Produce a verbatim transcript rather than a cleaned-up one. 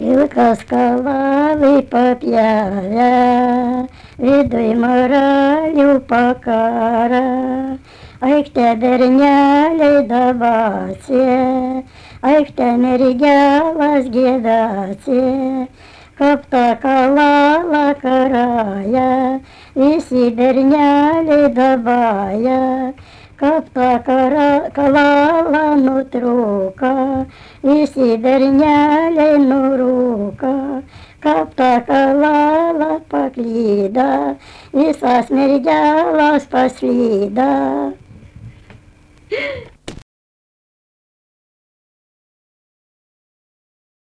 Ilka skalali papjavę, viduj moralių pakara. Aikštė berneliai dabacija, aikštė mergelas gėdacija, kaip ta kalala karaja, visi berneliai dabaja, kaip ta kara, kalala nutrūka, visi berneliai nurūka, kaip ta kalala paklyda, visas mergelas paslyda.